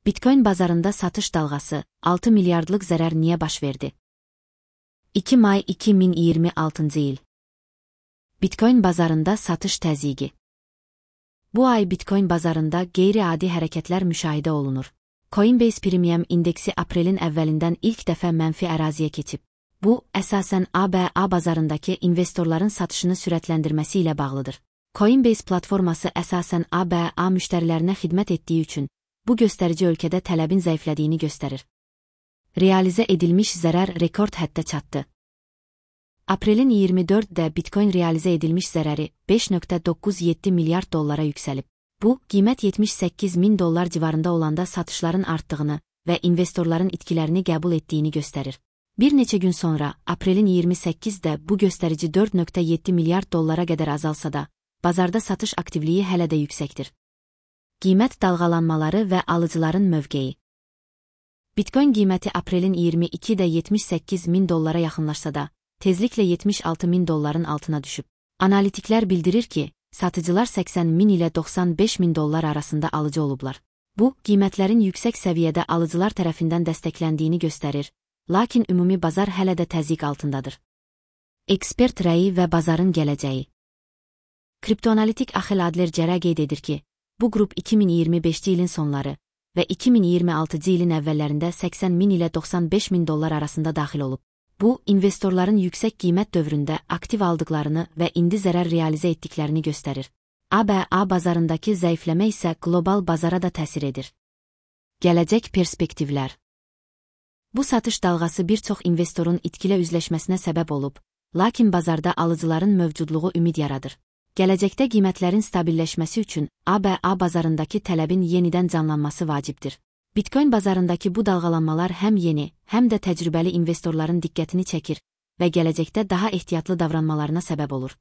Bitcoin bazarında satış dalğası, 6 milyardlıq zərər niyə baş verdi? 2 may 2026 il. Bitcoin bazarında satış təzyiqi. Bu ay Bitcoin bazarında qeyri-adi hərəkətlər müşahidə olunur. Coinbase Premium indeksi aprelin əvvəlindən ilk dəfə mənfi əraziyə keçib. Bu, əsasən ABA bazarındakı investorların satışını sürətləndirməsi ilə bağlıdır. Coinbase platforması əsasən ABA müştərilərinə xidmət etdiyi üçün, bu göstərici ölkədə tələbin zəiflədiyini göstərir. Realizə edilmiş zərər rekord həddə çatdı. Aprelin 24-də Bitcoin realizə edilmiş zərəri 5,97 milyard dollara yüksəlib. Bu, qiymət 78 min dollar civarında olanda satışların artdığını və investorların itkilərini qəbul etdiyini göstərir. Bir neçə gün sonra, aprelin 28-də bu göstərici 4,7 milyard dollara qədər azalsa da, bazarda satış aktivliyi hələ də yüksəkdir. Qiymət dalğalanmaları və alıcıların mövqeyi. Bitcoin qiyməti aprelin 22-də 78 min dollara yaxınlaşsa da, tezliklə 76 min dolların altına düşüb. Analitiklər bildirir ki, satıcılar 80 min ilə 95 min dollar arasında alıcı olublar. Bu, qiymətlərin yüksək səviyyədə alıcılar tərəfindən dəstəkləndiyini göstərir, lakin ümumi bazar hələ də təzyiq altındadır. Ekspert rəyi və bazarın gələcəyi. Kriptoanalitik Axel Adler Cərə qeyd edir ki, bu qrup 2025-ci ilin sonları və 2026-cı ilin əvvəllərində 80 min ilə 95 min dollar arasında daxil olub. Bu, investorların yüksək qiymət dövründə aktiv aldıqlarını və indi zərər realizə etdiklərini göstərir. ABA bazarındakı zəifləmə isə qlobal bazara da təsir edir. Gələcək perspektivlər. Bu satış dalğası bir çox investorun itkilə üzləşməsinə səbəb olub, lakin bazarda alıcıların mövcudluğu ümid yaradır. Gələcəkdə qiymətlərin stabilləşməsi üçün ABA bazarındakı tələbin yenidən canlanması vacibdir. Bitcoin bazarındakı bu dalğalanmalar həm yeni, həm də təcrübəli investorların diqqətini çəkir və gələcəkdə daha ehtiyatlı davranmalarına səbəb olur.